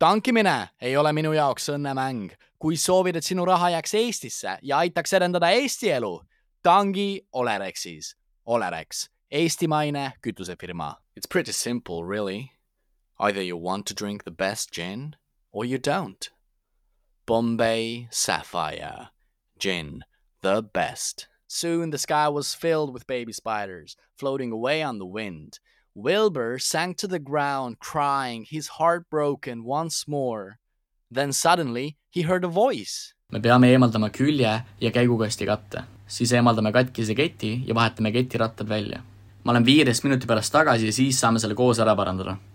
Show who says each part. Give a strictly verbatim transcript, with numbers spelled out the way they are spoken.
Speaker 1: Tankimine ei ole minu jaoks õnnemäng. Kui soovid, et sinu raha jääks Eestisse ja aitaks edendada Eesti elu, tangi Olerexis. Olerex, eestimaine kütusefirma. It's pretty simple, really. Either you want to drink the best gin or you don't. Bombay Sapphire. Gin, the best. Soon the sky was filled with baby spiders, floating away on the wind. Wilbur sank to the ground, crying, his heart broken once more. Then suddenly he heard a voice.
Speaker 2: Me peame eemaldama külje ja käigukasti katte. Siis eemaldame katkise keti ja vahetame ketirattad välja. Ma olen viieteist minuti pärast tagasi ja siis saame selle koos ära parandada.